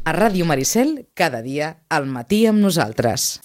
A Ràdio Maricel, cada dia, al matí amb nosaltres.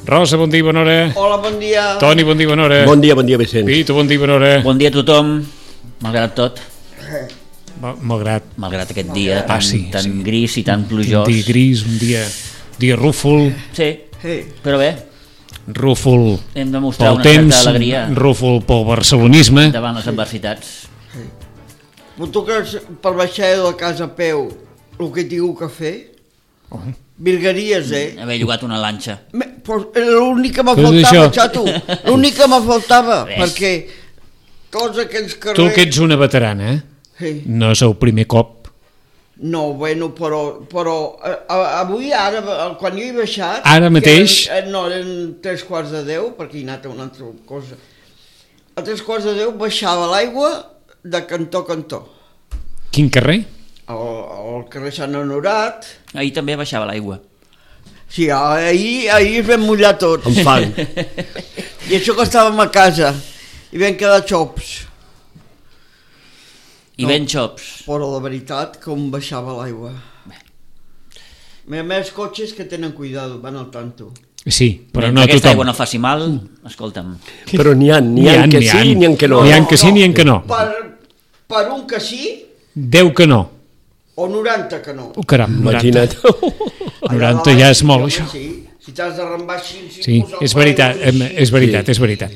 Rosa, bon dia, bona hora. Hola, bon dia. Toni, bon dia, bona hora. Bon dia, Vicent. Pitu, bon dia, bona hora. Bon dia a tothom, malgrat tot. Malgrat aquest dia tan gris i tan plujós. Un dia gris, un dia rúfol. Sí, però bé. Rúfol hem de mostrar pel una temps, certa alegria. Rúfol pel barcelonisme. Davant les adversitats. Però tu creus per baixar de la casa a peu el que tinc que fer? Virgueries, Haver llogat una lanxa. L'únic que me faltava, xato. L'únic que me faltava, perquè tots aquells carrers... Tu que ets una veterana, no és el primer cop. No, bueno, però avui, ara, quan jo he baixat... Ara mateix? No, eren 3:15, perquè he anat a una altra cosa. A 3:15 baixava l'aigua de cantó a cantó. Quin carrer? Al carrer Sant Honorat. Ahir també baixava l'aigua. Sí, ahir es vam mullar tots. Amb fang. I això que estàvem a casa. I vam quedar xops. I ben xops. Però la veritat, com baixava l'aigua. Més cotxes que tenen cuidado, van al tanto. Sí, però no tothom. Aquesta aigua no faci mal, escolta'm. Però n'hi ha que sí, n'hi ha que no. N'hi ha que sí, n'hi ha que no. Per un que sí... 10 que no. O 90 que no. Caram, 90. Imagina't. 90 ja és molt, això. Si t'has de rembar així... Sí, és veritat, és veritat.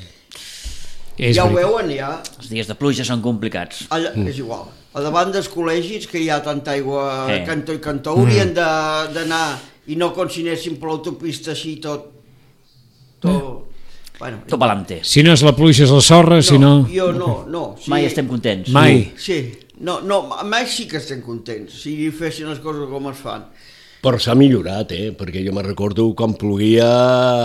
Ja ho veuen, ja. Els dies de pluja són complicats. És igual. A davant dels col·legis, que hi ha tanta aigua cantó i cantó, haurien d'anar, i no com si anessin per l'autopista així tot palante. Si no és la pluja és la sorra, si no... Jo no. Mai estem contents. Mai. Sí, mai sí que estem contents, si fessin les coses com es fan. Però s'ha millorat, perquè jo me recordo quan ploguia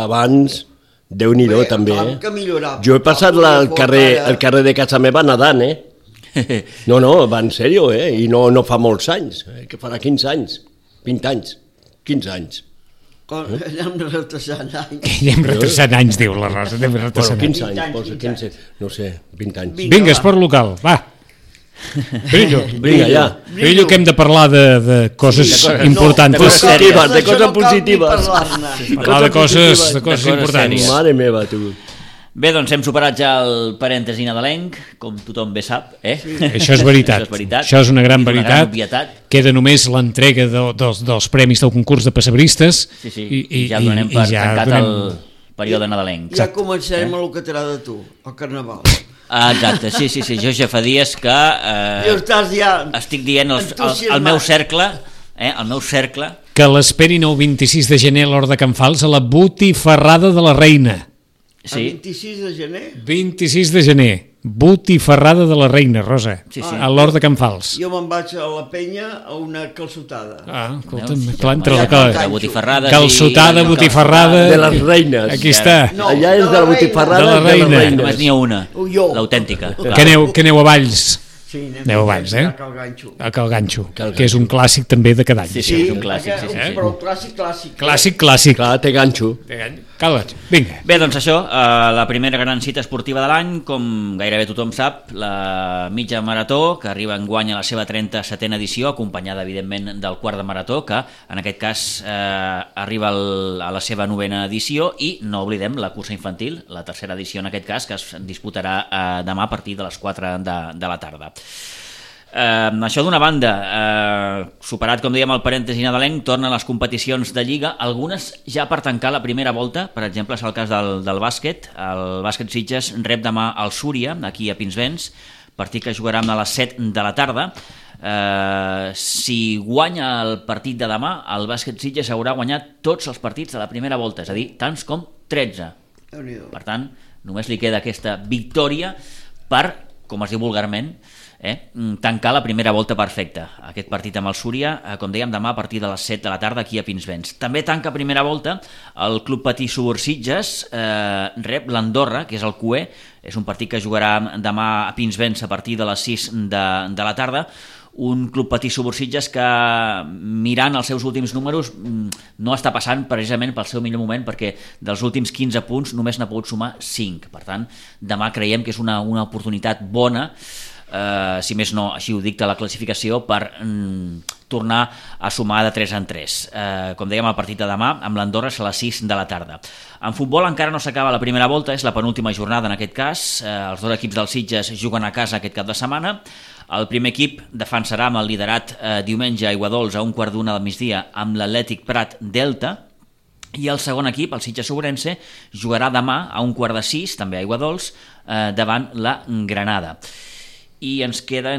abans, Déu-n'hi-do també. Que millorar. Jo he passat el carrer de casa meva nedant, No, va en sèrio, i no fa molts anys, que farà 15 anys, 20 anys, 15 anys. Anem retrasant anys. Anem retrasant anys, diu la Rosa, anem retrasant anys. 15 anys, no sé, 20 anys. Vinga, esport local, va. Brillo, que hem de parlar de coses importants. De coses positives. Parlar de coses importants. Mare meva, tu. Bé, doncs hem superat ja el parèntesi nadalenc, com tothom bé sap, Sí, això és veritat. Això és una gran veritat. Queda només l'entrega dels premis del concurs de pessebristes. Sí, i ja donem per tancat el període nadalenc. Ja començarem el que t'agrada a tu, el carnaval. Exacte, sí, jo ja fa dies que estic dient al meu cercle, que l'esperin el 26 de gener a l'Hort de Can Fals a la Botifarrada de la Reina. El 26 de gener? 26 de gener, Botifarrada de la Reina, Rosa, a l'Hort de Can Fals. Jo me'n vaig a la penya a una calçotada. Escolta'm, clar, entre la cosa. Calçotada, Botifarrada... De les reines. Aquí està. Allà és de la Botifarrada de la Reina. Només n'hi ha una, l'autèntica. Que aneu a Valls. Sí, aneu a Valls, a Cal Ganxo, que és un clàssic també de cada any. Sí, és un clàssic. Però clàssic. Clàssic. Clar, té ganxo. Cal Ganxo, vinga. Bé, doncs això, la primera gran cita esportiva de l'any, com gairebé tothom sap, la mitja marató, que arriba enguany a la seva 37a edició, acompanyada, evidentment, del quart de marató, que en aquest cas arriba a la seva 9a edició, i no oblidem la cursa infantil, la tercera edició en aquest cas, que es disputarà demà a partir de les 4 de la tarda. Això d'una banda, superat com dèiem el parèntesi nadalenc, tornen les competicions de Lliga, algunes ja per tancar la primera volta. Per exemple, és el cas del bàsquet. El bàsquet Sitges rep demà el Súria, aquí a Pinsbens, partit que jugarà a les 7 de la tarda. Si guanya el partit de demà, el bàsquet Sitges haurà guanyat tots els partits de la primera volta, és a dir, tants com 13. Per tant, només li queda aquesta victòria per com es diu vulgarment, tancar la primera volta perfecta. Aquest partit amb el Súria, com dèiem, demà a partir de les 7 de la tarda aquí a Pinsbens. També tanca primera volta el Club Patí Subursitges, rep l'Andorra, que és el QE, és un partit que jugarà demà a Pinsbens a partir de les 6 de la tarda, un Club Patí Subursitges que, mirant els seus últims números, no està passant precisament pel seu millor moment, perquè dels últims 15 punts només n'ha pogut sumar 5. Per tant, demà creiem que és una oportunitat bona, si més no, així ho dicta la classificació, per tornar a sumar de 3 en 3. Com dèiem, el partit de demà amb l'Andorra és a les 6 de la tarda. En futbol encara no s'acaba la primera volta, és la penúltima jornada en aquest cas. Els dos equips dels Sitges juguen a casa aquest cap de setmana. El primer equip defensarà amb el liderat diumenge a Aiguadols a 1:15 del migdia amb l'Atlètic Prat Delta, i el segon equip, el Sitges Ourense, jugarà demà a 1:45, també a Aiguadols, davant la Granada. I ens queda,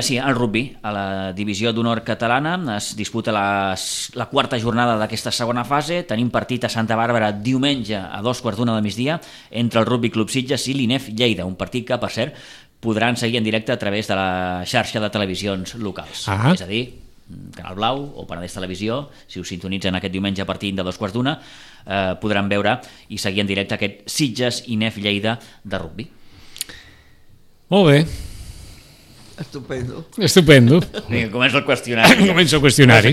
sí, el rugby. A la divisió d'honor catalana es disputa la quarta jornada d'aquesta segona fase. Tenim partit a Santa Bàrbara diumenge a 2:15 del migdia entre el Rugby Club Sitges i l'INEF Lleida, un partit que, per cert, podran seguir en directe a través de la xarxa de televisions locals. És a dir, Canal Blau o Penedès Televisió, si us sintonitzen aquest diumenge a partir de 2:15, podran veure i seguir en directe aquest Sitges-INEF Lleida de rugby. Molt bé. Estupendo. Començo el qüestionari. Començo el qüestionari.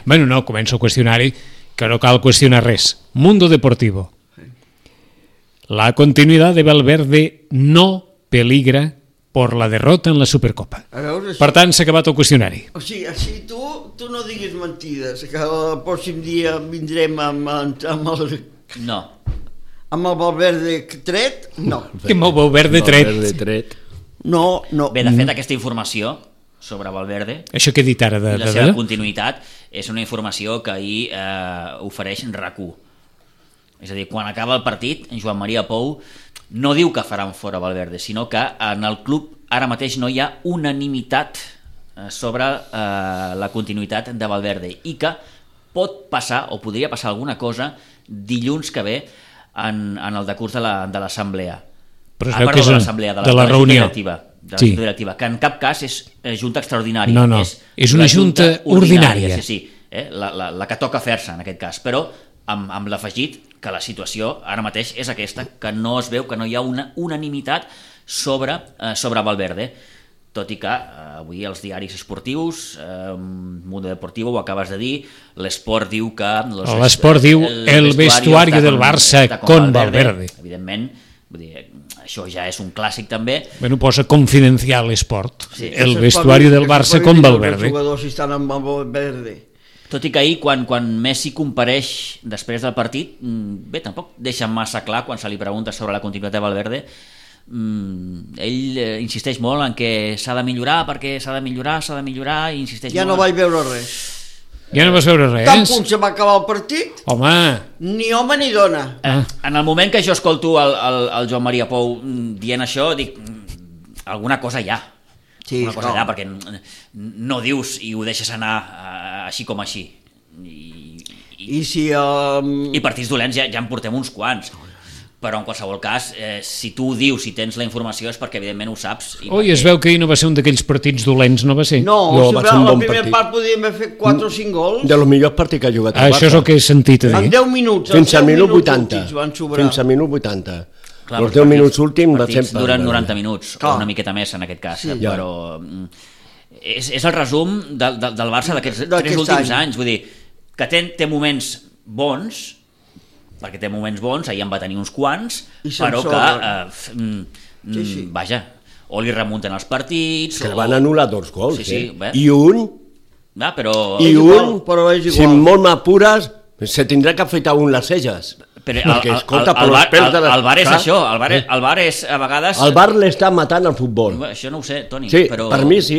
Bueno, no, començo el qüestionari, que no cal qüestionar res. Mundo Deportivo. La continuidad de Valverde no peligra por la derrota en la Supercopa. Per tant, s'ha acabat el qüestionari. O sigui, així tu no diguis mentides, que el pròxim dia vindrem amb el... No. Amb el Valverde tret, no. Amb el Valverde tret. No. Bé, de fet, aquesta informació sobre Valverde, això que he dit ara i la seva continuïtat, és una informació que ahir ofereix RAC1. És a dir, quan acaba el partit, en Joan Maria Pou no diu que faran fora Valverde, sinó que en el club ara mateix no hi ha unanimitat sobre la continuïtat de Valverde, i que pot passar, o podria passar alguna cosa dilluns que ve en el decurs de l'assemblea. Però es veu que és de la reunió directiva, que en cap cas és junta extraordinària. No, és una junta ordinària. Sí, la que toca fer-se en aquest cas, però amb l'afegit que la situació ara mateix és aquesta, que no es veu, que no hi ha una unanimitat sobre Valverde, tot i que avui els diaris esportius, Mundo Deportivo, ho acabes de dir, l'Esport diu que... L'Esport diu el vestuario del Barça con Valverde. Evidentment, vull dir, això ja és un clàssic també. Bueno, posa confidencial Esport, el vestuario del Barça con Valverde. Els jugadors estan amb Valverde. Tot i que ahir, quan Messi compareix després del partit, bé, tampoc deixa massa clar quan se li pregunta sobre la continuïtat de Valverde. Ell insisteix molt en que s'ha de millorar, perquè s'ha de millorar, i insisteix molt. Ja no vaig veure res. Ja no vas veure res? Tan punt se va acabar el partit? Home! Ni home ni dona. En el moment que jo escolto el Joan Maria Pou dient això, dic, alguna cosa hi ha. Sí, una cosa allà, perquè no dius i ho deixes anar així com així. I partits dolents ja en portem uns quants, però en qualsevol cas, si tu ho dius, si tens la informació, és perquè evidentment ho saps. Es veu que ahir no va ser un d'aquells partits dolents, no va ser? No, va ser un bon partit. La primera part podíem haver fet 4 o 5 gols. De los millors partits que ha jugat el Barça. Això és el que he sentit a dir. En 10 minuts. Fins al minut 80. Fins al minut 80. Clar, els 10 minuts últims va ser... duren 90 minuts, o una miqueta més en aquest cas, però és el resum del Barça d'aquests 3 últims anys, vull dir, que té moments bons, perquè té moments bons, ahir en va tenir uns quants, però que, vaja, o li remunten els partits... Que van anul·lar 2 gols, i un, si molt m'apures, se tindrà que afeitar les celles. Però el bar és això, el bar és a vegades... El bar l'està matant al futbol. Això no ho sé, Toni. Sí, però... per mi sí.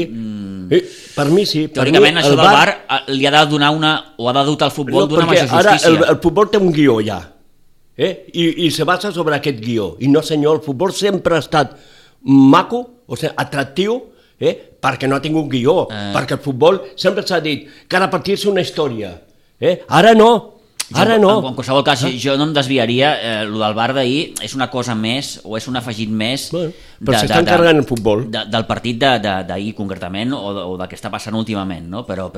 Per mi sí. Teòricament això del bar li ha de donar o ha de dotar al futbol d'una major justícia. Ara el futbol té un guió ja, i se basa sobre aquest guió. I no senyor, el futbol sempre ha estat maco, o sigui, atractiu, perquè no ha tingut guió, perquè el futbol sempre s'ha dit cada partit és una història. Ara no. Ara no. En qualsevol cas, jo no em desviaria. Lo del bar d'ahir és una cosa més, o és un afegit més... Però s'està encarregant el futbol. Del partit d'ahir, concretament, o del que està passant últimament, no? Però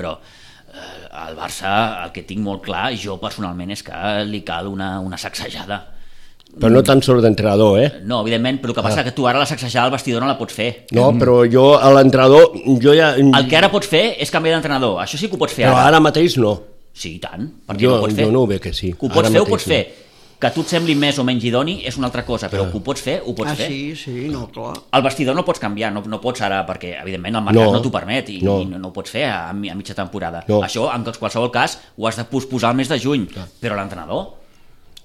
al Barça, el que tinc molt clar, jo personalment, és que li cal una sacsejada. Però no tan sols d'entrenador, No, evidentment, però el que passa és que tu ara la sacsejada al vestidor no la pots fer. No, però jo a l'entrenador... El que ara pots fer és canviar d'entrenador, això sí que ho pots fer ara. Però ara mateix no. Sí, i tant, perquè no ho pots fer. Jo no ho veig que sí. Que ho pots fer, ho pots fer. Que a tu et sembli més o menys idoni és una altra cosa, però que ho pots fer, ho pots fer. Sí, no, clar. El vestidor no pots canviar, no pots ara, perquè evidentment el mercat no t'ho permet i no ho pots fer a mitja temporada. Això, en qualsevol cas, ho has de posposar al mes de juny, però l'entrenador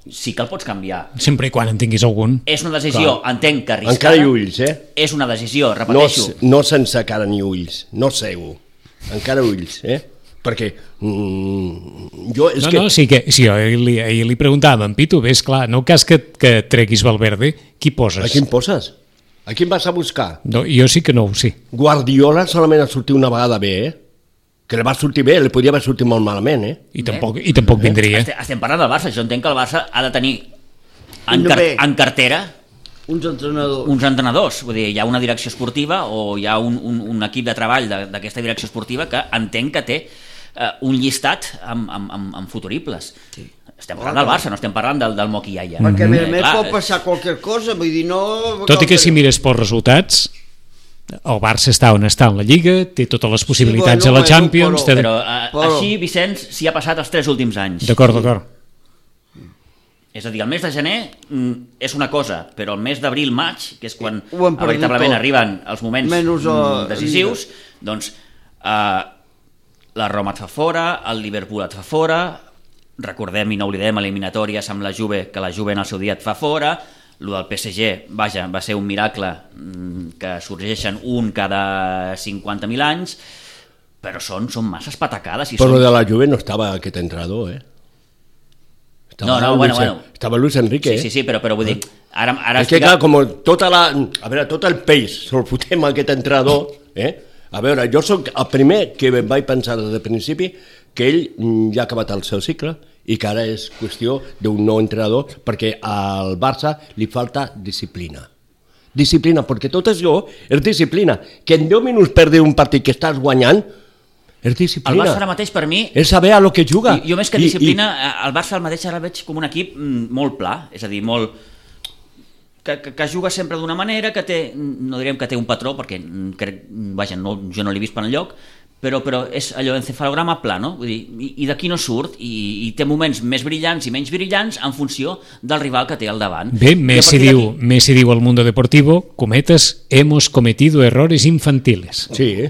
sí que el pots canviar. Sempre i quan en tinguis algun. És una decisió, entenc que arriscada. Encara hi ulls, És una decisió, repeteixo. No sense cara ni ulls, no segur. Encara ulls, perquè jo... Sí, jo ahir li preguntava a en Pitu, és clar, no cas que treguis Valverde, qui poses? A quin poses? A quin vas a buscar? No, jo sí que no ho sé. Guardiola solament ha sortit una vegada bé, que li va sortir bé, li podia haver sortit molt malament, I tampoc vindria. Estem parlant del Barça, jo entenc que el Barça ha de tenir en cartera uns entrenadors, vull dir, hi ha una direcció esportiva o hi ha un equip de treball d'aquesta direcció esportiva que entenc que té un llistat amb futuribles. Sí. Estem parlant del Barça, no estem parlant del Moquillaia. Perquè a més pot passar qualsevol cosa, vull dir, no... Tot i que si mires pels resultats, el Barça està on està en la Lliga, té totes les possibilitats a la Champions... Però així, Vicenç, s'hi ha passat els 3 últims anys. D'acord. És a dir, el mes de gener és una cosa, però el mes d'abril-maig, que és quan veritablement arriben els moments decisius, doncs la Roma et fa fora, el Liverpool et fa fora, recordem i no oblidem eliminatòries amb la Juve, que la Juve en el seu dia et fa fora, el del PSG, vaja, va ser un miracle que sorgeixen un cada 50.000 anys, però són masses patacades. Però de la Juve no estava aquest entrenador, Estava Luis Enrique. Sí, però vull dir... Ara és que clar, com tot el peix se'l fotem a aquest entrenador, A veure, jo sóc el primer que vaig pensar des del principi que ell ja ha acabat el seu cicle i que ara és qüestió d'un nou entrenador perquè al Barça li falta disciplina. Disciplina, perquè tot això és disciplina. Que en 10 minuts perdi un partit que estàs guanyant és disciplina. El Barça ara mateix per mi... És saber a lo que juga. Jo més que disciplina, el Barça al mateix ara el veig com un equip molt pla, és a dir, molt... Que juga sempre d'una manera, que té, no direm que té un patró, perquè vaja, jo no l'he vist per enlloc, però és allò encefalograma pla, no? Vull dir, i d'aquí no surt, i té moments més brillants i menys brillants en funció del rival que té al davant. Bé, Messi diu al Mundo Deportivo, cometes, hemos cometido errores infantiles. Sí.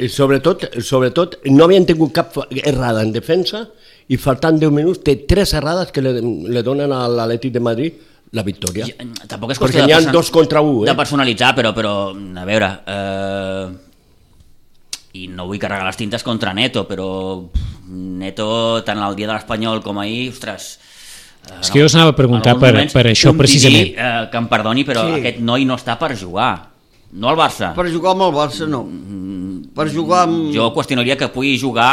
Sobretot, no havien tingut cap errada en defensa, i faltant 10 minuts té 3 errades que le donen a l'Atlètic de Madrid la victòria. Tampoc és qüestió perquè n'hi ha 2 contra 1. De personalitzar, però a veure... I no vull carregar les tintes contra Neto, però Neto, tant el dia de l'Espanyol com ahir, ostres... És que jo us anava a preguntar per això precisament. Que em perdoni, però aquest noi no està per jugar. No al Barça. Per jugar amb el Barça, no. Per jugar amb... Jo qüestionaria que pugui jugar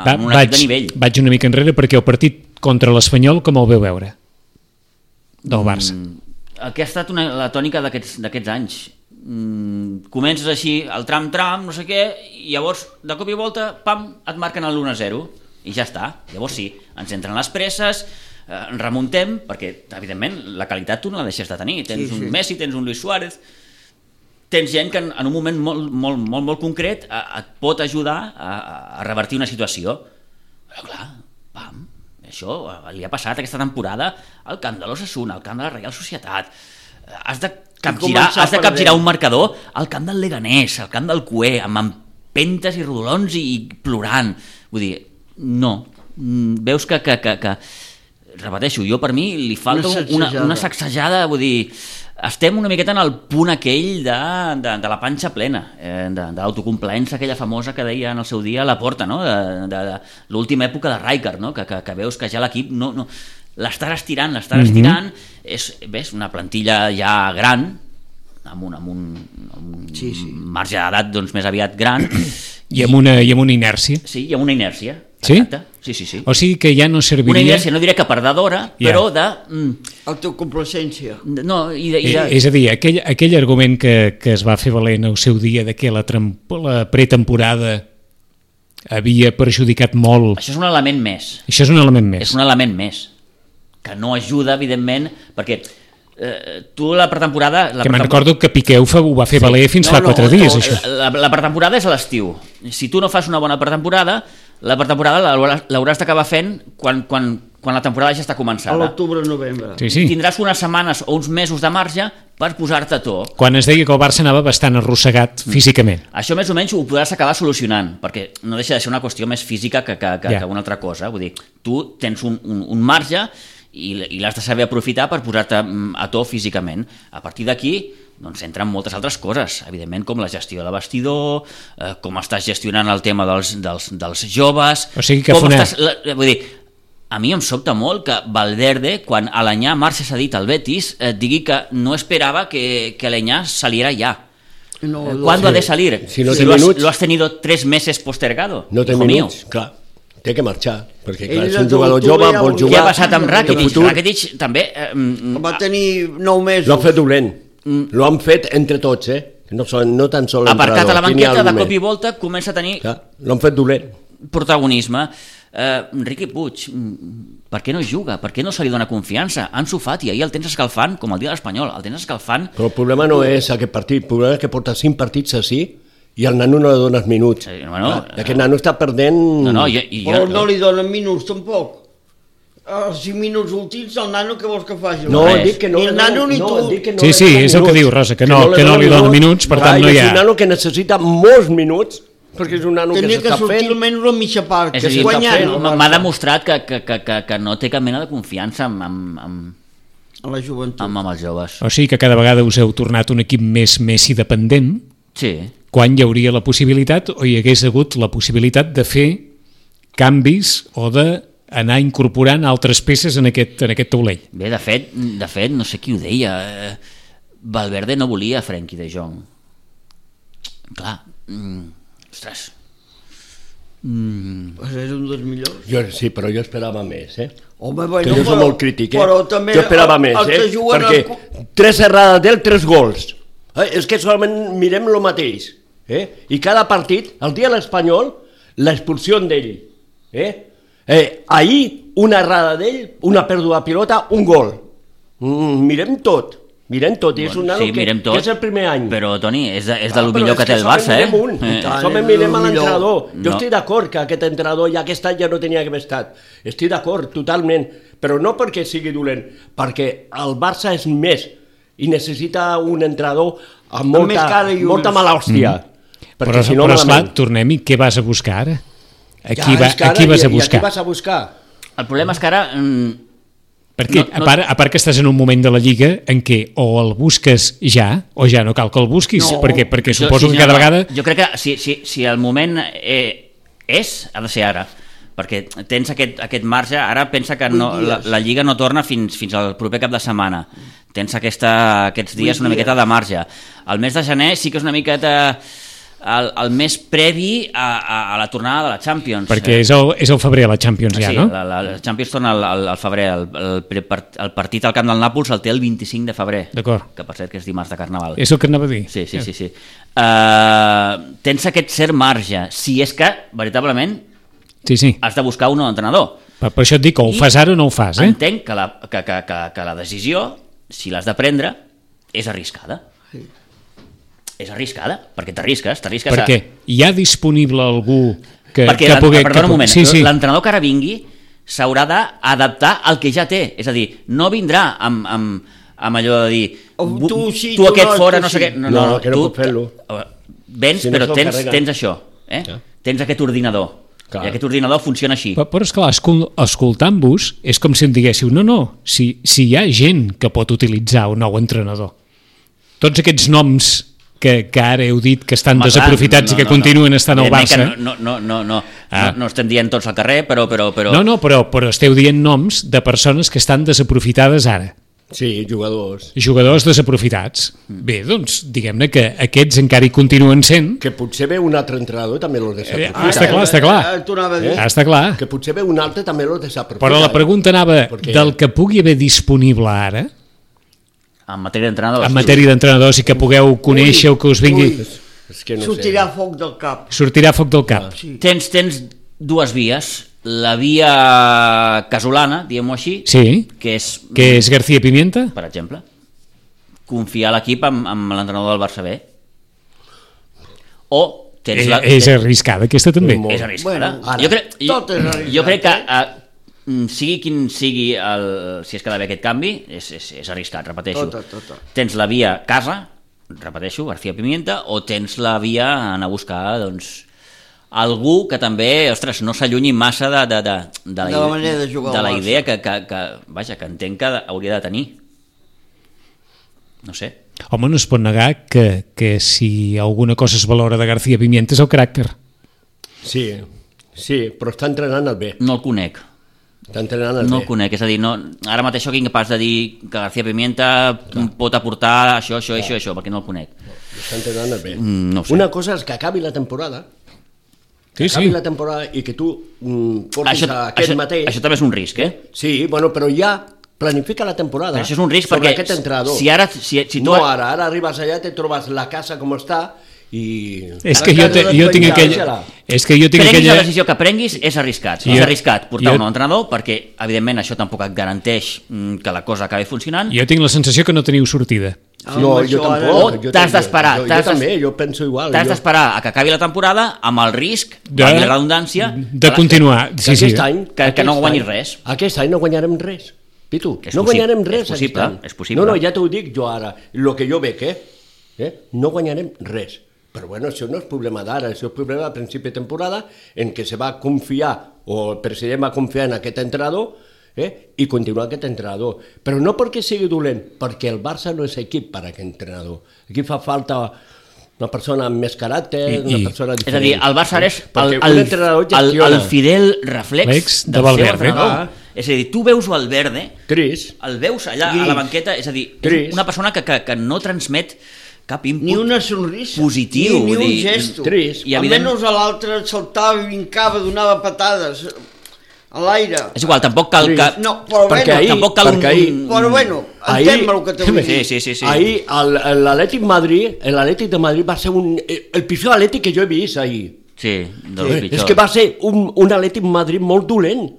amb un equip de nivell. Vaig una mica enrere perquè el partit contra l'Espanyol com el veu veure? Del Barça. El que ha estat la tònica d'aquests anys. Comences així, el tram, no sé què, i llavors, de cop i volta, pam, et marquen l'1-0, i ja està. Llavors sí, ens entren les presses, remuntem, perquè, evidentment, la qualitat tu no la deixes de tenir. Tens un Messi, tens un Luis Suárez, tens gent que en un moment molt concret et pot ajudar a revertir una situació. Però clar, pam, això li ha passat aquesta temporada al camp de l'Osasuna, al camp de la Reial Societat. Has de capgirar un marcador al camp del Leganés, al camp del Cué, amb empentes i rodolons i plorant. Vull dir, no. Veus que repeteixo, jo per mi li falta una sacsejada, vull dir, estem una miqueta en el punt aquell de la panxa plena, de l'autocomplaença aquella famosa que deia en el seu dia a la Porta, no? De l'última època de Rijkaard, no? Que veus que ja l'equip no l'estàs estirant, ves, una plantilla ja gran, amb un marge d'edat doncs, més aviat gran, i amb una inèrcia. Sí, i amb una inèrcia. Sí? Exacte. Sí. O sigui que ja no serviria... Una inèrcia, no diré que perdedora, però de... Autocomplacència. No, És a dir, aquell argument que es va fer valer en el seu dia de que la pretemporada havia perjudicat molt... Això és un element més. Això és un element més. És un element més, que no ajuda, evidentment, perquè tu la pretemporada... Que me'n recordo que Piqué ho va fer valer fins fa 4 dies, això. La pretemporada és a l'estiu. Si tu no fas una bona pretemporada, la pretemporada l'hauràs d'acabar fent quan la temporada ja està començada. A l'octubre-novembre. Sí. Tindràs unes setmanes o uns mesos de marge per posar-te a to. Quan es deia que el Barça anava bastant arrossegat físicament. Això més o menys ho podràs acabar solucionant, perquè no deixa de ser una qüestió més física que una altra cosa. Vull dir, tu tens un marge i l'has de saber aprofitar per posar-te a to físicament. A partir d'aquí doncs entren moltes altres coses, evidentment, com la gestió de vestidor, com estàs gestionant el tema dels joves... O sigui que vull dir, a mi em sobta molt que Valverde, quan Aleñà marxa cedit al Betis, digui que no esperava que Aleñà saliera ya. ¿Cuándo ha de salir? Si no té minuts... ¿Lo has tenido 3 meses postergado? No té minuts, clar. Té que marxar, perquè clar, és un jugador jove, vol jugar... Què ha passat amb Rakitic? Rakitic també... Va tenir 9 mesos. L'han fet dolent. Lo han fet entre tots, no tan sol l'entrenador. Aparcat a la banqueta, de cop i volta, comença a tenir... L'han fet dolent. Protagonisme. Riqui Puig, per què no juga? Per què no se li dona confiança? Ansu Fati, ahir el tens escalfant, com el dia de l'Espanyol, el tens escalfant... Però el problema no és aquest partit, el problema és que porta 5 partits així i al nano no li dones minuts. Aquest nano està perdent... Però no li donen minuts, tampoc. Els 5 minuts últims, el nano què vols que faci? No, dic que no. Ni el nano ni tu. Sí, és el que diu Rosa, que no li dona minuts, per tant no hi ha... És un nano que necessita molts minuts, perquè és un nano que s'està fent... Tenia que sortir almenys la mitja part, que és guanyant. M'ha demostrat que no té cap mena de confiança amb la joventut. Amb els joves. O sigui que cada vegada us heu tornat un equip més Messi dependent, quan hi hauria la possibilitat, o hi hagués hagut la possibilitat de fer canvis o d'anar incorporant altres peces en aquest taulell. Bé, de fet, no sé qui ho deia, Valverde no volia Frenkie de Jong. Clar, ostres... És un dels millors. Sí, però jo esperava més, Home, jo soc molt crític, també jo esperava més, perquè 3 errades d'ell, 3 gols. És que solament mirem el mateix. I cada partit, el dia de l'Espanyol, l'expulsió d'ell. Ahir, una errada d'ell, una pèrdua de pilota, un gol. Mirem tot, i és un nano que és el primer any. Però, Toni, és del millor que té el Barça, Solament mirem a l'entrenador. Jo estic d'acord que aquest entrenador ja aquest any ja no tenia que haver estat. Estic d'acord, totalment. Però no perquè sigui dolent, perquè el Barça és més i necessita un entrenador amb molta mala hòstia. Però esclar, tornem-hi, què vas a buscar ara? Aquí vas a buscar? El problema és que ara... Perquè, a part que estàs en un moment de la Lliga en què o el busques ja, o ja no cal que el busquis, perquè suposo que cada vegada... Jo crec que si el moment ha de ser ara, perquè tens aquest marge, ara pensa que la Lliga no torna fins al proper cap de setmana, tens aquests dies una miqueta de marge. El mes de gener sí que és una miqueta... el mes previ a la tornada de la Champions. Perquè és el febrer la Champions ja, no? Sí, la Champions torna al febrer. El partit al camp del Nàpols el té el 25 de febrer. D'acord. Que per cert que és dimarts de Carnaval. És el que anava a dir. Sí. Tens aquest cert marge, si és que, veritablement, has de buscar un nou entrenador. Per això et dic, o ho fas ara o no ho fas, Entenc que la decisió, si l'has de prendre, és arriscada. És arriscada, perquè t'arrisques perquè hi ha disponible algú que pugui... Perdona un moment, l'entrenador que ara vingui s'haurà d'adaptar al que ja té, és a dir, no vindrà amb allò de dir tu aquest fora, no sé què... No, que no pot fer-lo. Vens, però tens això, tens aquest ordinador, i aquest ordinador funciona així. Però esclar, escoltant-vos és com si em diguéssiu, si hi ha gent que pot utilitzar un nou entrenador, tots aquests noms que ara heu dit que estan desaprofitats i que continuen estant al Barça. No estem dient tots al carrer, però... No, però esteu dient noms de persones que estan desaprofitades ara. Sí, jugadors. Jugadors desaprofitats. Bé, doncs, diguem-ne que aquests encara hi continuen sent. Que potser ve un altre entrenador també l'ho desaprofita. Està clar. T'ho anava a dir. Està clar. Que potser ve un altre també l'ho desaprofita. Però la pregunta anava del que pugui haver disponible ara, En matèria d'entrenadors. en matèria d'entrenadors, i que pugueu conèixer o que us vingui... És que no Sortirà sé. foc del cap. Sortirà foc del cap. Sí. Tens dues vies. La via casolana, diguem-ho així, Sí. que és, Que és García Pimienta? per exemple, confiar l'equip amb l'entrenador del Barça B. O tens És arriscada, aquesta també. Molt. És arriscada. Bueno, ara, jo crec que sigui quin sigui si es queda bé aquest canvi, és arriscat, repeteixo. Tota. Tens la via casa, repeteixo, García Pimienta, o tens la via anar a buscar, doncs, algú que també, ostres, no s'allunyi massa de la manera de jugar de la al Barça. idea que entenc que hauria de tenir. No sé. Home, no es pot negar que si alguna cosa es valora de García Pimienta és el caràcter. Sí, però està entrenant el bé. No el conec. Està entrenant el No bé. el conec, és a dir, no, ara mateix sóc incapaç de dir que García Pimienta pot aportar això, perquè no el conec. Està entrenant el bé. No ho sé. Una cosa és que acabi la temporada, acabi la temporada i que tu portis aquest mateix. Això també és un risc, Sí, bueno, però ja planifica la temporada. Però això és un risc sobre perquè aquest entrenador. si tu... No, ara arribes allà, te trobes la casa com està i... És que jo tinc aquella... És que jo tinc Prenguis la aquella... decisió que prenguis, és arriscat. Sí, És arriscat portar jo- un nou entrenador perquè, evidentment, això tampoc et garanteix que la cosa acabi funcionant. Jo tinc la sensació que no teniu sortida. No, jo tampoc. O t'has d'esperar. Jo també, jo penso igual. T'has d'esperar a que acabi la temporada amb el risc, De- valgui la redundància, De continuar. Sí, Aquest sí. any, que no aquest guanyis any- res. Aquest any no guanyarem res. Pitu, És no possible, guanyarem res. és possible, aquest any. és possible. No, ja t'ho dic jo ara. El que jo veig, no guanyarem res. Però bueno, això no és problema d'ara, això és problema a principi de temporada en què se va confiar, o el president va confiar en aquest entrenador, i continuar aquest entrenador. Però no perquè sigui dolent, perquè el Barça no és equip per a aquest entrenador. Aquí fa falta una persona amb més caràcter, una persona És a diferent. dir, el Barça és Perquè un entrenador gestiona. el fidel reflex del seu Valverde. entrenador. És a dir, tu veus Valverde, Trist. el veus allà a la banqueta, és a dir, Trist. és una persona que no transmet cap input Ni una sonrisa, positiu, ni vull un dir, gesto. trist. I Almenys a l'altre saltava i vincava, donava patades a l'aire. És igual, tampoc cal que... No, però Perquè bueno, ahir- tampoc cal perquè ahir- però bueno, entén-me el que t'ho vull dir. Sí. Ahir l'Atlètic de Madrid va ser el pitjor Atlètic que jo he vist ahir. Sí, dels pitjors. És que va ser un Atlètic Madrid molt dolent.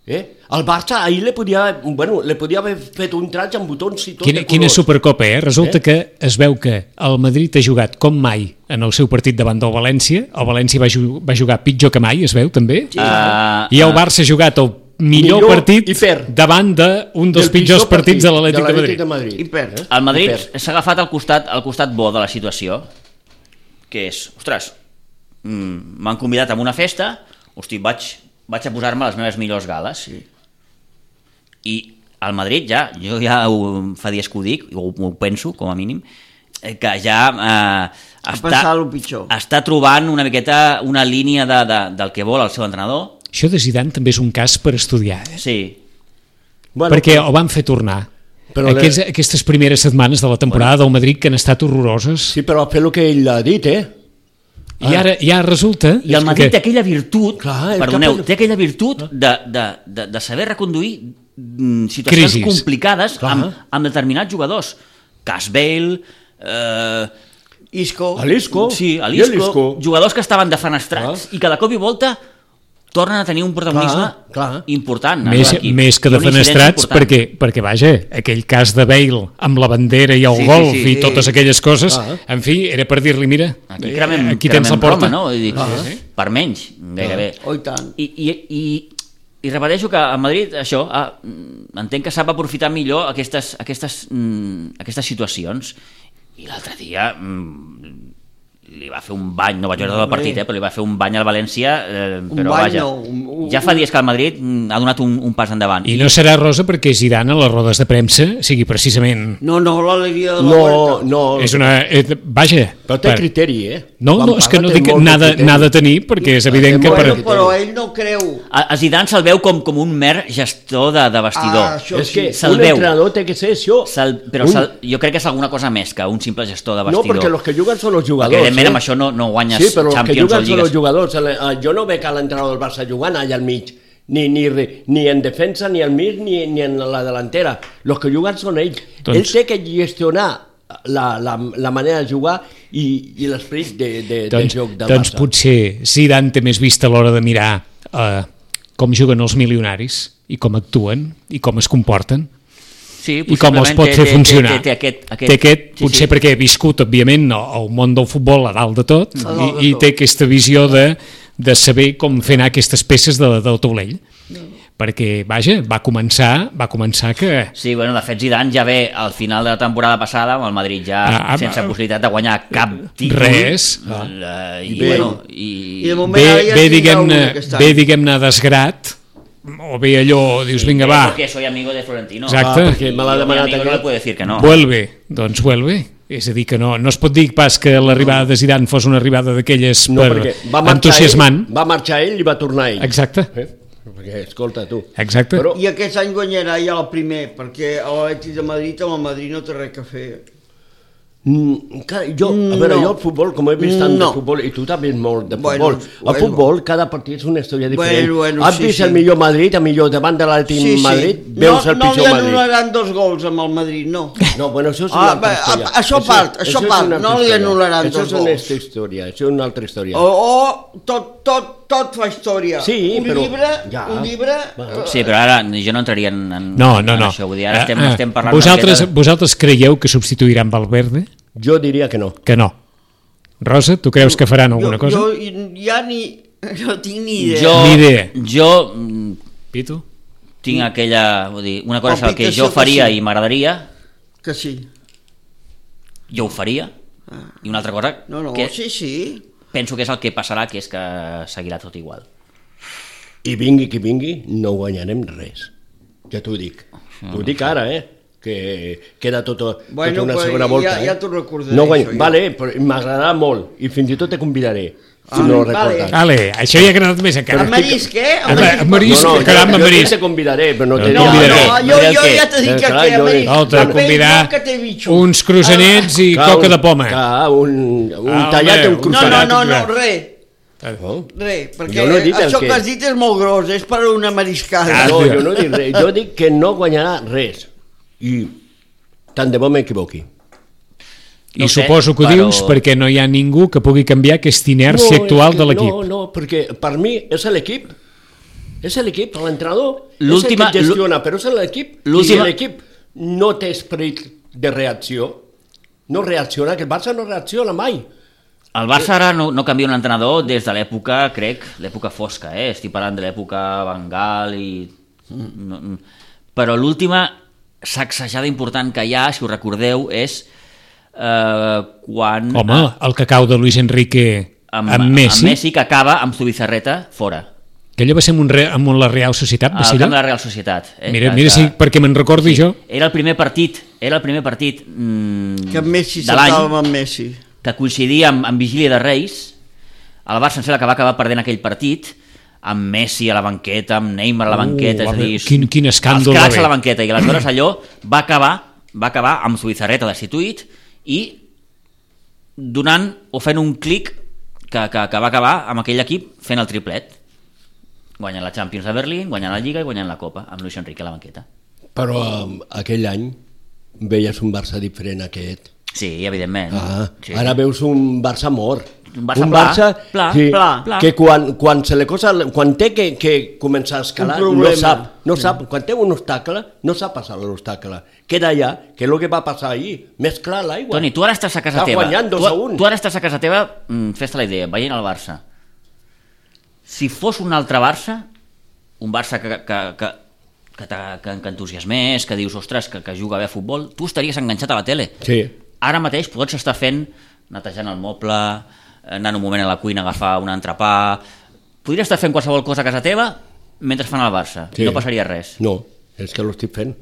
El Barça ahir li podia haver fet un traig amb botons i tot de Quina colors. Supercopa, Resulta que es veu que el Madrid ha jugat com mai en el seu partit davant del València. El València va jugar pitjor que mai, es veu, també. I el Barça ha jugat el millor partit i perd. davant d'un dels pitjors partits de l'Atlètic de Madrid. I perd. El Madrid I perd. s'ha agafat al costat bo de la situació, que és, ostres, m'han convidat a una festa, hosti, vaig a posar-me les meves millors gales. I al Madrid jo ja fa dies que ho dic, ho penso, com a mínim, que ja passat el pitjor. està trobant una miqueta una línia del que vol el seu entrenador. Això de Zidane també és un cas per estudiar, Sí, perquè el van fer tornar. Però Aquestes primeres setmanes de la temporada del Madrid que han estat horroroses. Sí, però fer el que ell ha dit, I ara ja resulta... i el Madrid té aquella virtut, Clar, té aquella virtut de saber reconduir situacions Crisis. complicades Clar. amb determinats jugadors. Cas Bale, Isco. L'Isco. sí, I l'Isco. jugadors que estaven defenestrats i que de cop i volta tornen a tenir un protagonisme Clar. important. Més que defenestrats, perquè, vaja, aquell cas de Bale amb la bandera i el Sí, golf sí, i totes aquelles coses, Ah. en fi, era per dir-li, mira, aquí tens la porta. Roma, no? Vull dir, per menys, gairebé. Oh, i tant. I repeteixo que a Madrid això entenc que sap aprofitar millor aquestes situacions. I l'altre dia li va fer un bany, no vaig veure tot el partit, però li va fer un bany al València, però bany vaja, no, ja fa dies que el Madrid ha donat un pas endavant. I no serà rosa perquè Zidane a les rodes de premsa sigui precisament... No, l'alegria de la Huerta. No, És una... Vaja, Però té criteri, No, és que no dic n'ha de tenir, perquè és evident que... Però ell no creu. A Zidane se'l veu com un mer gestor de vestidor. És que un entrenador té que ser això. Però jo crec que és alguna cosa més que un simple gestor de vestidor. No, perquè els que juguen són els jugadors. Perquè evidentment amb això no guanyes Champions o Lligues. Sí, però els que juguen són els jugadors. Jo no veig a l'entrenador del Barça jugant allà al mig. Ni en defensa, ni al mig, ni en la delantera. Els que juguen són ells. Ell té que gestionar la manera de jugar i l'esperit de joc del Barça. Doncs potser Zidane té més vista a l'hora de mirar com juguen els milionaris i com actuen i com es comporten i com els pot fer funcionar. Té aquest, potser perquè he viscut, òbviament, al món del futbol a dalt de tot i té aquesta visió de saber com fer anar aquestes peces del taulell. Perquè, vaja, va començar que... Sí, bueno, de fet Zidane ja ve al final de la temporada passada amb el Madrid ja sense possibilitat de guanyar cap títol. Res. Ve, diguem-ne, desgrat, o bé allò, dius, vinga, va. Perquè soy amigo de Florentino. Exacte. Perquè me l'ha demanat no le puede decir que no. Vuelve, doncs vuelve. És a dir, que no es pot dir pas que l'arribada de Zidane fos una arribada d'aquelles entusiasmant. Va marxar ell i va tornar ell. Exacte. Perquè, escolta, tu. Exacte. I aquest any guanyarà ja el primer, perquè l'Atlètic de Madrid amb el Madrid no té res a fer. Jo el futbol, com he vist tant de futbol, i tu també molt de futbol, el futbol, cada partit és una història diferent. Has vist el millor Madrid, el millor davant de l'Atlètic Madrid, veus el pitjor Madrid. No li anul·laran 2 gols amb el Madrid, no. No, bueno, això és una altra història. Això part, no li anul·laran 2 gols. Això és una altra història. Tot fa història. Sí, però... Un llibre... Sí, però ara jo no entraria en això. Vull dir, ara estem parlant... Vosaltres creieu que substituiran Valverde? Jo diria que no. Que no. Rosa, tu creus que faran alguna cosa? Jo ja no tinc ni idea. Ni idea. Jo... Pitu? Tinc aquella... Vull dir, una cosa és el que jo faria i m'agradaria. Que sí. Jo ho faria. I una altra cosa... que sí. Penso que és el que passarà, que és que seguirà tot igual. I vingui qui vingui, no guanyarem res. Ja t'ho dic. T'ho dic ara, que queda tota una segona volta. Ja t'ho recordaré. No vale, però m'agradarà molt i fins i tot te convidaré. Si no ho recordes. Vale, això ja ha agradat més encara. Amb marisc, Amb marisc, caram, amb marisc. Jo te convidaré, però no te jo ja t'he dit que amb marisc. No, t'he de convidar uns croissanets i coca de poma. Un tallat i un croissanet. No, res. Perquè això que has dit és molt gros, és per una mariscada. No, jo no dic res, jo dic que no guanyarà res. I tant de bo m'equivoqui. I suposo que ho dius perquè no hi ha ningú que pugui canviar aquesta inèrcia actual de l'equip. No, perquè per mi és l'equip. És l'equip, l'entrenador és el que gestiona, però és l'equip. I si l'equip no té esperit de reacció, no reacciona, que el Barça no reacciona mai. El Barça ara no canvia un entrenador des de l'època, crec, l'època fosca, estic parlant de l'època Van Gaal i... Però l'última sacsejada important que hi ha, si ho recordeu, és quan... Home, el cacau de Luis Enrique amb Messi. Amb Messi, que acaba amb Zubizarreta fora. Aquella va ser amb la Real Societat? Al camp de la Real Societat. Mira si perquè me'n recordi jo. Era el primer partit que Messi saltava amb Messi. Que coincidia amb Vigília de Reis. El Barça em sembla que va acabar perdent aquell partit amb Messi a la banqueta, amb Neymar a la banqueta, és a dir, quin escàndol. Els cracs a la banqueta, i aleshores allò va acabar amb Zubizarreta destituït i donant o fent un clic que va acabar amb aquell equip fent el triplet, guanyant la Champions de Berlín, guanyant la Lliga i guanyant la Copa amb Luis Enrique a la banqueta. Però aquell any veies un Barça diferent aquest. Sí, evidentment. Sí. Ara veus un Barça mort. Un Barça pla. Que quan se le cosa, quan té que començar a escalar, no sap, quan té un obstacle, no sap passar l'obstacle. Queda allà, que és el que va passar ahir, més clar l'aigua. Toni, tu ara estàs a casa teva. Tu ara estàs a casa teva, fes-te la idea, veient el Barça. Si fos un altre Barça, un Barça que entusiasmés, que dius, ostres, que juga bé a futbol, tu estaries enganxat a la tele. Sí. Ara mateix pots estar netejant el moble, anant un moment a la cuina a agafar un entrepà, podries estar fent qualsevol cosa a casa teva mentre fan el Barça, sí. No passaria res. No, és que l'estic fent.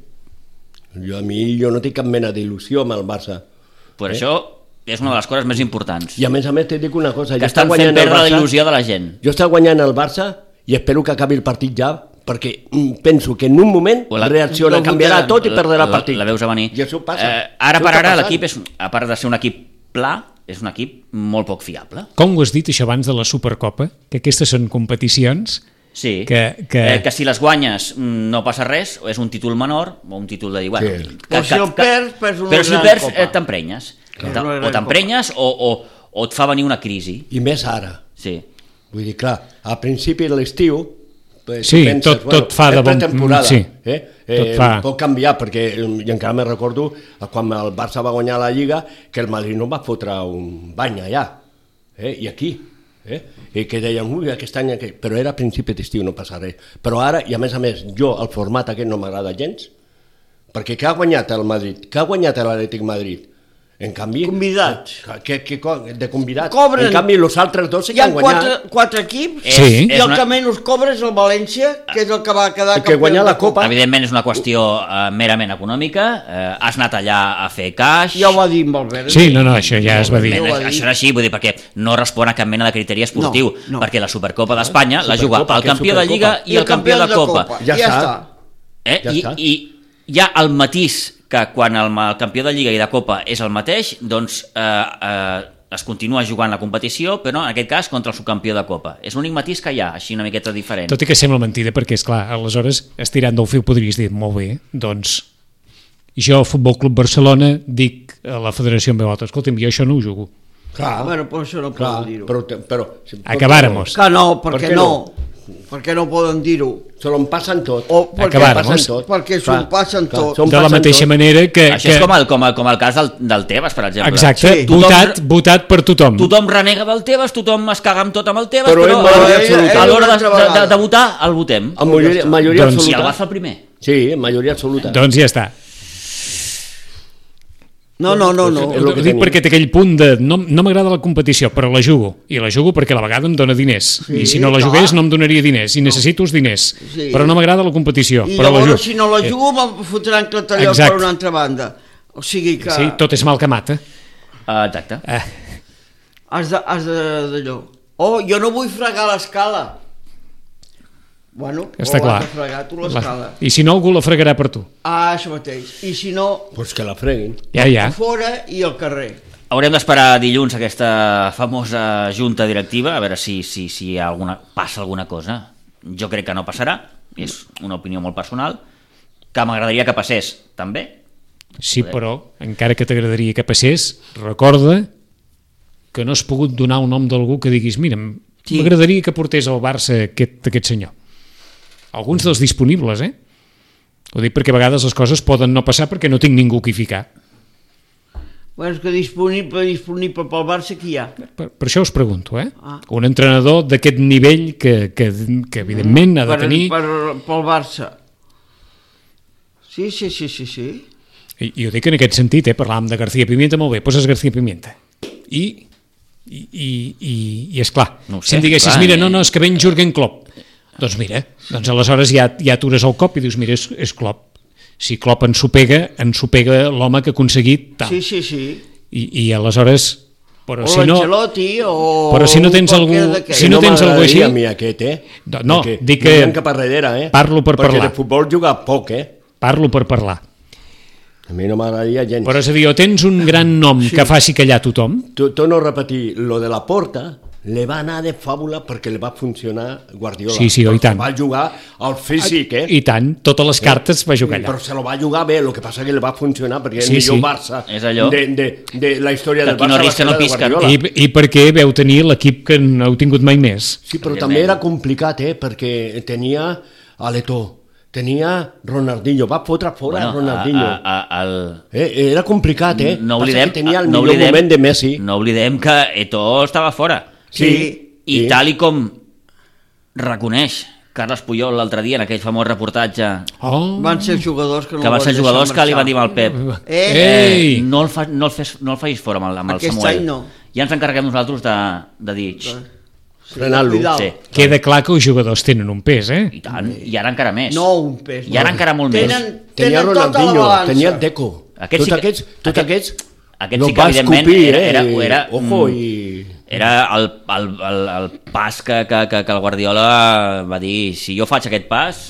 Jo no tinc cap mena d'il·lusió amb el Barça. Per això és una de les coses més importants. I a més t'he dit una cosa. Que estan fent perdre la il·lusió de la gent. Jo està guanyant el Barça i espero que acabi el partit ja, perquè penso que en un moment reacciona, canviarà tot i perdrà el partit. La veus a venir. I això passa. Ara per ara l'equip, a part de ser un equip pla, és un equip molt poc fiable. Com ho has dit això abans de la Supercopa? Que aquestes són competicions... Sí, que si les guanyes no passa res, o és un títol menor o un títol de dir, bueno, sí. Però si el perds però si el perds t'emprenyes, o t'emprenyes o et fa venir una crisi. I més ara. Sí. Vull dir, clar, al principi de l'estiu sí, penses, tot fa de bon temporada, sí, tot fa. Pot canviar, perquè i encara me recordo quan el Barça va guanyar la Lliga que el Madrid no va fotre un bany allà, i aquí i que deien, ui, aquest any però era a principi d'estiu, no passa res, però ara, i a més, jo, el format aquest no m'agrada gens, perquè què ha guanyat el Madrid? Què ha guanyat l'Atlètic Madrid? En canvi... Convidats. De convidats. Cobren. En canvi, els altres dos sí que han guanyat. Hi ha quatre equips, sí. I el que menys cobra és el València, que és el que va quedar que guanyar la Copa. Evidentment és una qüestió merament econòmica, has anat allà a fer caix... Ja ho va dir amb Albert. Sí, no, això ja es va dir. Això era així, vull dir, perquè no respon a cap mena de criteri esportiu, perquè la Supercopa d'Espanya la juga el campió de Lliga i el campió de Copa. Ja està. I hi ha el matís que quan el campió de Lliga i de Copa és el mateix, doncs es continua jugant la competició, però en aquest cas contra el subcampió de Copa. És l'únic matís que hi ha, així una miqueta diferent. Tot i que sembla mentida, perquè és clar, aleshores, estirant del fil podries dir, molt bé, doncs jo, Futbol Club Barcelona, dic a la federació en veu alta, escolta'm, jo això no ho jugo. Clar, bueno, però això no poden dir-ho. Però acabáramos. Que no, perquè no. Perquè no poden dir-ho. Se l'on passen tot. Perquè s'ho passen tot. De la mateixa manera que... Això és com el cas del Tebas, per exemple. Exacte, sí. votat per tothom. Tothom renega del Tebas, tothom es caga amb tot amb el Tebas, però a l'hora de votar el votem. Amb majoria absoluta. I el va fer el primer. Sí, majoria absoluta. Doncs ja està. No. Ho dic perquè té aquell punt de no m'agrada la competició, però la jugo. I la jugo perquè a la vegada em dona diners. I si no la jugués no em donaria diners. I necessito els diners. Però no m'agrada la competició. I però llavors si no la jugo me'n fotran clatalló per una altra banda. O sigui que... Sí, tot és mal que mata. Exacte. Has d'allò. Oh, jo no vull fregar l'escala. Bueno, està clar. Fregar tu l'escala. I si no, algú la fregarà per tu. Això mateix. I si no... Pues que la freguin. Ja. Fora i al carrer. Haurem d'esperar dilluns aquesta famosa junta directiva, a veure si passa alguna cosa. Jo crec que no passarà, és una opinió molt personal, que m'agradaria que passés, també. Sí, però, encara que t'agradaria que passés, recorda que no has pogut donar el nom d'algú que diguis, mira, m'agradaria que portés al Barça aquest senyor. Alguns dels disponibles, Ho dic perquè a vegades les coses poden no passar perquè no tinc ningú qui ficar. Bueno, és que disponible pel Barça qui hi ha? Per això us pregunto, Un entrenador d'aquest nivell que evidentment ha de tenir... Pel Barça. Sí. I ho dic en aquest sentit, parlàvem de García Pimienta, molt bé, poses García Pimienta. I és clar, no sé, si em diguessis, mira, no, és que ven Jürgen Klopp. Doncs mira, aleshores ja atures el cop i dius, mira, és Klopp. Si Klopp ensopega l'home que ha aconseguit tal. Sí. I aleshores... Però si no, però si no tens algú així... a mi aquest, No, dic que... cap a darrere, Parlo per parlar. Perquè de futbol juga poc, Parlo per parlar. A mi no m'agradaria gens. Però és a dir, o tens un gran nom que faci callar tothom... Torno a repetir, lo de la Porta le va anar de fàbula perquè li va funcionar Guardiola. Sí, i tant. Va jugar al físic, I tant, totes les cartes va jugar allà. Però se lo va jugar bé, el que passa que li va funcionar perquè és el millor Barça de la història del Barça. No Guardiola. I perquè veu tenir l'equip que no heu tingut mai més. Sí, però també era complicat, perquè tenia a l'Etó, tenia Ronaldinho, va fotre fora Ronaldinho. Era complicat, No oblidem, que tenia el millor moment de Messi. No oblidem que Eto'o estava fora. Sí. I tal i com reconeix Carles Puyol l'altre dia en aquell famós reportatge van ser jugadors que van ser jugadors que li van dir al Pep no el facis fora amb el Samuel. Ja ens encarreguem nosaltres de dir frenar-lo. Queda clar que els jugadors tenen un pes, I tant, i ara encara més. No un pes. I ara encara molt més. Tenia Ronaldinho, tenia Deco. Tots aquests Aquest sí que, evidentment, era ojo, era el pas que el Guardiola va dir, si jo faig aquest pas,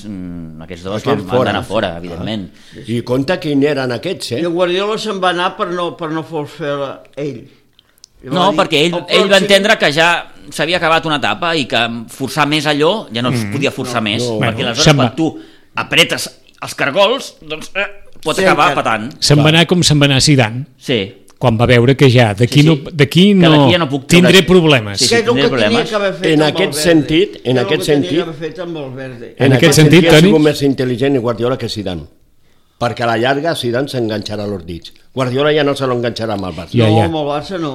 aquests dos han d'anar fora, evidentment. I compte quin eren aquests, I el Guardiola se'n va anar per no fer ell. No, perquè ell va entendre que ja s'havia acabat una etapa i que forçar més allò ja no es podia forçar més, perquè aleshores quan tu apretes els cargols, doncs pot acabar patant. Se'n va anar com se'n va anar Zidane. Sí. Quan va veure que ja d'aquí no tindré problemes. Sí, tindré problemes. En aquest sentit, en aquest sentit, ha sigut més intel·ligent Guardiola que Zidane. Perquè a la llarga Zidane s'enganxarà els dits. Guardiola ja no se l'enganxarà amb el Barça. No, amb el Barça no.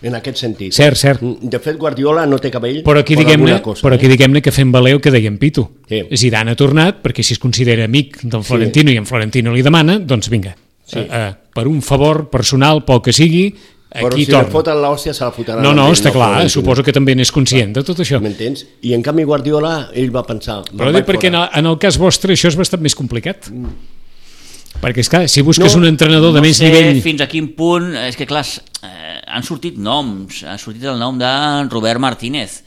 En aquest sentit. Cert. De fet, Guardiola no té cabell però aquí diguem-ne que fem valer el que dèiem Pitu. Sí. Zidane ha tornat perquè si es considera amic del Florentino i en Florentino li demana, doncs vinga, per un favor personal, pel que sigui, però aquí si torna. li foten l'hòstia se la fotran. No, està clar, suposo que també n'és conscient de tot això. M'entens? I en canvi Guardiola, ell va pensar... Però dic perquè en el cas vostre això és bastant més complicat. Perquè, esclar, si busques un entrenador de més nivell... No sé fins a quin punt... És que, clar, han sortit noms. Ha sortit el nom de Robert Martínez.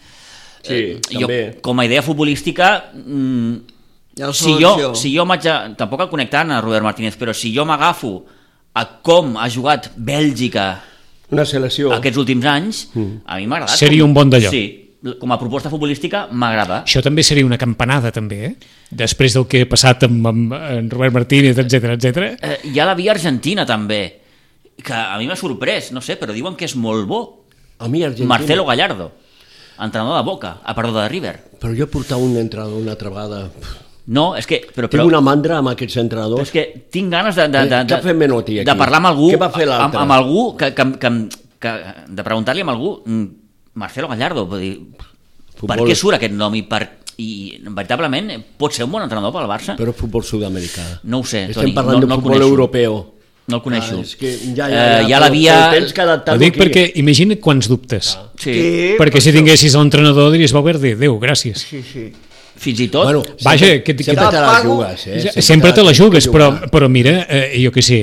Sí, també. Jo, com a idea futbolística... Si jo m'haig de... Tampoc el connectant a Robert Martínez, però si jo m'agafo a com ha jugat Bèlgica una selecció aquests últims anys, a mi m'ha agradat. Seria un bon d'allò. Sí, com a proposta futbolística m'agrada. Això també seria una campanada, també, després del que ha passat amb Robert Martínez, etc. Hi ha la via argentina, també, que a mi m'ha sorprès, no sé, però diuen que és molt bo. A mi Argentina... Marcelo Gallardo, entrenador de Boca, de River. Però jo he portat un entrenador una altra vegada... No, és que... Tinc una mandra amb aquests entrenadors. És que tinc ganes de parlar amb algú, què va fer l'altre? Amb algú de preguntar-li a algú, Marcelo Gallardo, per què surt aquest nom i veritablement pot ser un bon entrenador pel Barça? Però futbol sud-americà. No ho sé, Toni. Estem parlant de futbol europeu. No el coneixo. Ja la via... Ho dic perquè imagina quants dubtes. Sí. Perquè si tinguessis l'entrenador diries, Valverde, Déu, gràcies. Sí. Fins i tot... Bueno, sempre te la jugues, Sempre te la jugues, però mira, jo què sé,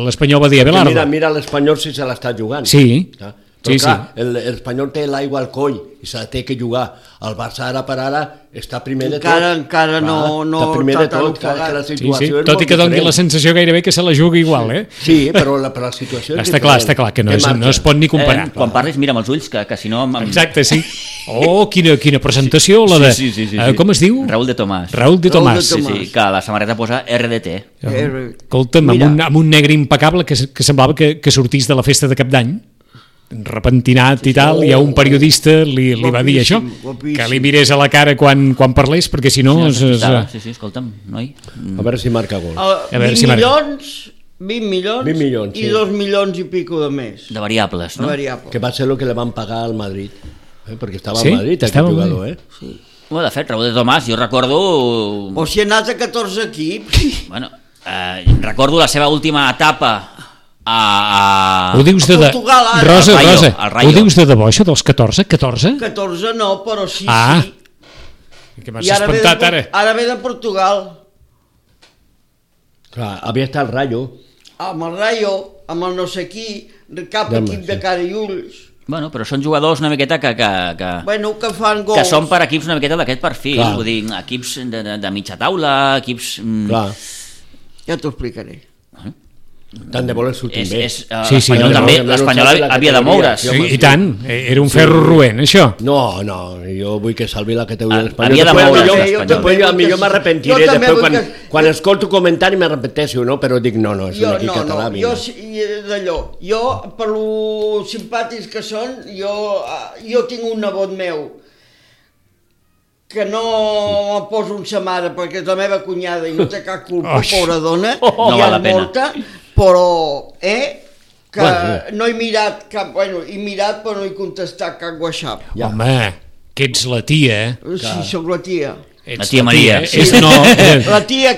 l'Espanyol va dir a Belardo. Mira l'Espanyol si se l'està jugant. Sí. Però clar, l'Espanyol té l'aigua al coll i se la té que jugar. El Barça ara per ara està primer de tot. Encara no està primer de tot, que la situació és tot i que doni la sensació gairebé que se la jugui igual, Sí, però la situació és diferent. Està clar, que no es pot ni comparar. Quan parlis mira amb els ulls, que si no... Exacte, sí. Oh, quina presentació, la de... Sí. Com es diu? Raúl de Tomàs. Sí, que la samarreta posa RDT. Escolta'm, amb un negre impecable que semblava que sortís de la festa de Cap d'Any, repentinat i tal, i a un periodista li va dir això, que li mirés a la cara quan parlés, perquè si no... Sí, escolta'm, noi. A veure si marca gol. 20 milions i 2 milions i pico de més. De variables, no? Que va ser el que le van pagar al Madrid, perquè estava al Madrid aquest jugador, Sí. Bueno, de fet, Raúl de Tomàs, jo recordo... O si ha anat a 14 equips. Bueno, recordo la seva última etapa ho dius de Portugal, Rosa, ho dius de debò, això dels 14? 14 no, però sí. Que m'has espantat ara. Ara ve de Portugal. Clar, havia estat el Rayo. Amb el Rayo, amb el no sé qui, cap equip de cara i ulls. Bueno, però són jugadors una miqueta que fan gols. Que són per equips una miqueta d'aquest perfil. Vull dir, equips de mitja taula, equips... Clar. Ja t'ho explicaré. Tant de voler sortir bé. L'Espanyol també, l'Espanyol havia de moure's. I tant, era un ferro roent, això. No, jo vull que salvi la categoria de l'Espanyol. Havia de moure's. Després millor m'arrepentiré, després quan escolto comentari m'arrepenteixo, però dic no, és un equip català. Jo, per lo simpàtics que són, jo tinc un nebot meu que no em poso un sa mare perquè és la meva cunyada i no té cap culpa, pobra dona, hi ha molta, però que no he mirat cap, he mirat però no he contestat cap WhatsApp. Home, que ets la tia, Sí, sóc la tia. La tia Maria. La tia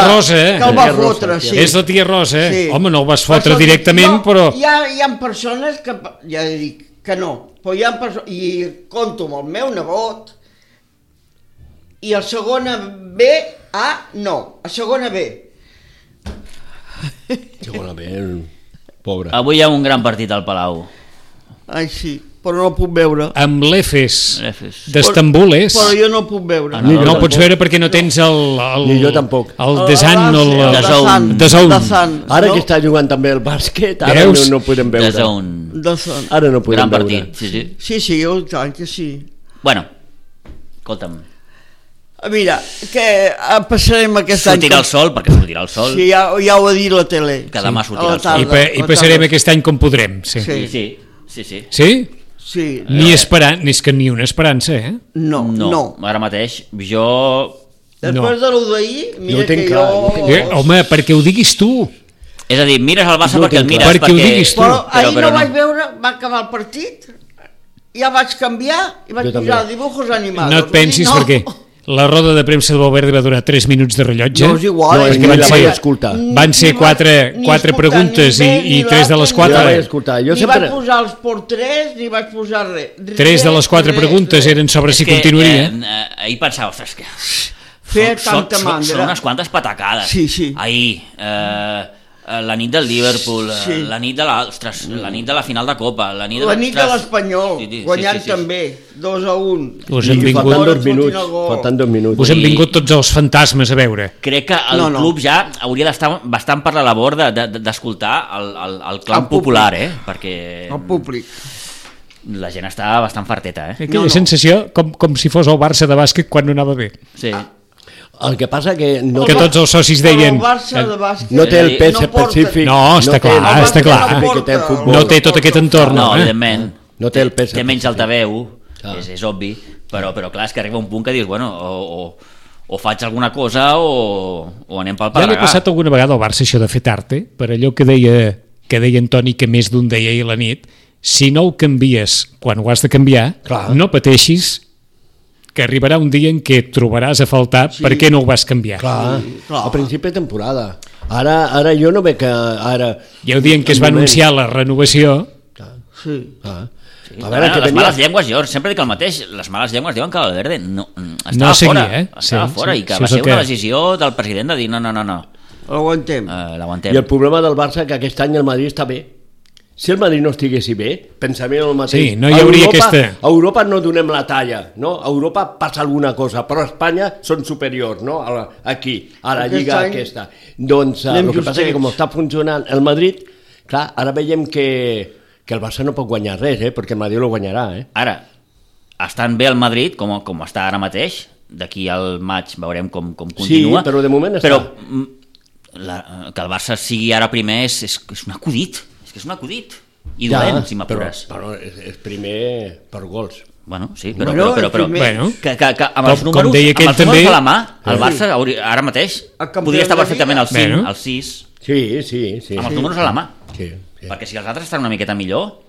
Rosa, que el va fotre, sí. És la tia Rosa, home, no el vas fotre directament, però... Hi ha persones que, ja dic que no, però hi ha persones, i conto amb el meu nebot, i el segona B, a segona B. Segona B... Pobre. Avui hi ha un gran partit al Palau. Ai, sí, però no el puc veure. Amb l'Efes Efes. d'Estambul és... Però jo no el puc veure. No el pots veure perquè no tens Ni jo tampoc. el Desan o el Dazón. Ara que està jugant també el bàsquet, ara no podem veure. Dazón. Ara no podem Gran veure. partit, sí. Sí, jo tant que sí. Bueno, escolta'm, Mira, que passarem aquest any... sortirà el sol, perquè sortirà el sol, Sí, ja ho ha dit la tele. que demà sortirà A el la sol. tarda. I passarem aquest any com podrem, sí. Sí. Sí. Sí? Sí. Ni és que ni una esperança, eh? No. Ara mateix, jo... Després de lo d'ahir, mira Jo ho tinc que clar, jo... jo tinc Home, perquè ho diguis tu. És a dir, mires el Barça Jo perquè el tinc mires, clar. Perquè ho diguis tu. Però ahir però no vaig veure, va acabar el partit, ja vaig canviar i vaig Jo també. posar dibujos animados. No et pensis Vull dir, perquè la roda de premsa de Valverde va durar 3 minuts de rellotge. No és igual. No, és que van la ser- vaig escoltar. Van ser quatre preguntes i 3 de les 4. Jo la vaig escoltar. Jo Ni sempre... vaig posar els porters, ni vaig posar res. 3 de les 4 preguntes eren sobre si continuaria. Ahir pensava, ostres, que... Feia tanta mandra. Són unes quantes patacades. Sí. Ahir, la nit del Liverpool, Sí. la nit de la nit de la final de Copa, la nit de, La nit de ostres, l'Espanyol, sí, guanyant sí. també, 2-1. Us I han vingut, faltant Fora, 2 minuts. fotin el gol. Faltant 2 minuts. us han vingut tots els fantasmes a veure. Crec que el No. club ja hauria d'estar bastant per la labor d'escoltar el clam El públic. popular, perquè El públic. la gent està bastant farteta, Aquella sensació com si fos el Barça de bàsquet quan no anava bé. Sí. El que passa que no, Que tots els socis deien... El Barça de bàsquet no té el pes no porta- específic. No, està té el clar, pes està clar. específic que té el futbol. No té tot aquest entorn, No, eh? evidentment. No té el pes Té menys específic. altaveu, Ah. és obvi, però clar, és que arriba un punt que dius, bueno, o faig alguna cosa o anem pel Ja li ha pedregar. passat alguna vegada al Barça això de fer tard, per allò que deia Antoni, que més d'un deia ahir a la nit, si no ho canvies quan ho has de canviar, Clar. no pateixis que arribarà un dia en què et trobaràs a faltar perquè no ho vas canviar. Clar, clar. a principi de temporada. Ara jo no veig que ara... I el dia en què es va anunciar la renovació, Sí. Ah. Sí, A veure, que les tenia... males llengües, jo sempre dic el mateix, les males llengües diuen que Valverde estava No seguia, fora, estava Sí, fora sí, i que sí, va és el ser una que- decisió del president de dir no, L'aguantem. l'aguantem. I el problema del Barça que aquest any el Madrid està bé. Si el Madrid no estiguessi bé, pensaríem el mateix. Sí, no hi hauria aquesta- A Europa no donem la talla, no? A Europa passa alguna cosa, però a Espanya són superiors, no? Aquí, a la Aquest lliga any aquesta. Doncs anem el que passa és que justets. com està funcionant el Madrid, clar, ara veiem que el Barça no pot guanyar res, perquè el Madrid lo guanyarà, Ara, estan bé el Madrid, com està ara mateix, d'aquí al maig veurem com continua. Sí, però de moment està. Però que el Barça sigui ara primer és un acudit, és que és un acudit. I dolent, si m'apures. Però és primer per gols. Bueno, sí, però, Bueno, però, però, el primer- Bueno, que amb els com números, deia amb aquell els números també- a la mà, el Barça ara mateix El campió podria estar de la perfectament Lliga. al 5, Bueno. al 6, Sí. amb els números a la mà. Sí. Perquè si els altres estan una miqueta millor,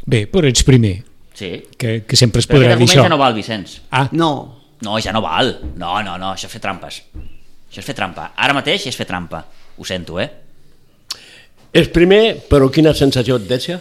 bé, però ets primer, sí. que sempre es Però podrà aquest dir argument això. ja no val, Vicenç. Ah, No. No, ja no val. No, això és fer trampes. Això és fer trampa. Ara mateix és fer trampa. Ho sento, És primer, però quina sensació et deixa?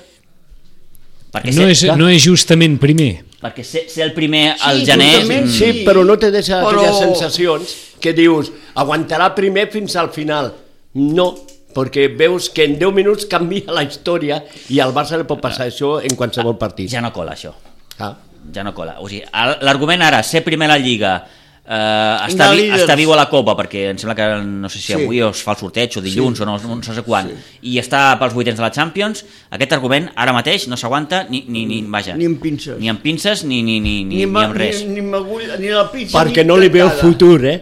Perquè no és justament primer. perquè ser el primer al Sí, gener... justament Sí, però no te deixa Però- aquelles sensacions que dius, aguantarà primer fins al final. No, perquè veus que en 10 minuts canvia la història i al Barça li pot passar això en qualsevol partit. Ja no cola, això. Ah. Ja no cola. O sigui, l'argument ara, ser primer a la Lliga, De líders. està viu a la Copa, perquè em sembla que no sé si Sí. avui es fa el sorteig o dilluns o no sé quan, i està pels vuitens de la Champions, aquest argument ara mateix no s'aguanta vaja, Ni amb pinces. ni amb pinces ni amb res. Ni amb agulla, ni la pizza. Perquè ni no li veus tancada. futur,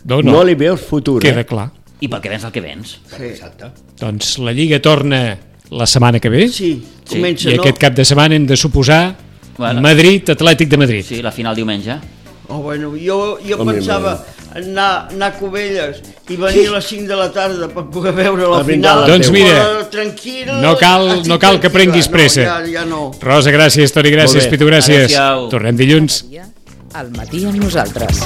No, No li veus futur, queda clar. I pel que vens el que vens. Sí, Exacte. Doncs la Lliga torna la setmana que ve sí, comença, i no? aquest cap de setmana hem de suposar Bueno. Madrid, Atlètic de Madrid. Sí, la final diumenge. Oh, bueno, jo Home, pensava anar a Cubelles i venir a les 5 de la tarda per poder veure la A brindar final. la Doncs teu. mira, Però tranquil, no cal que prenguis pressa. No, ja no. Rosa, gràcies, Toni, gràcies, Molt bé. Pitu, gràcies. Adéu-siau. Tornem dilluns. Al matí amb nosaltres.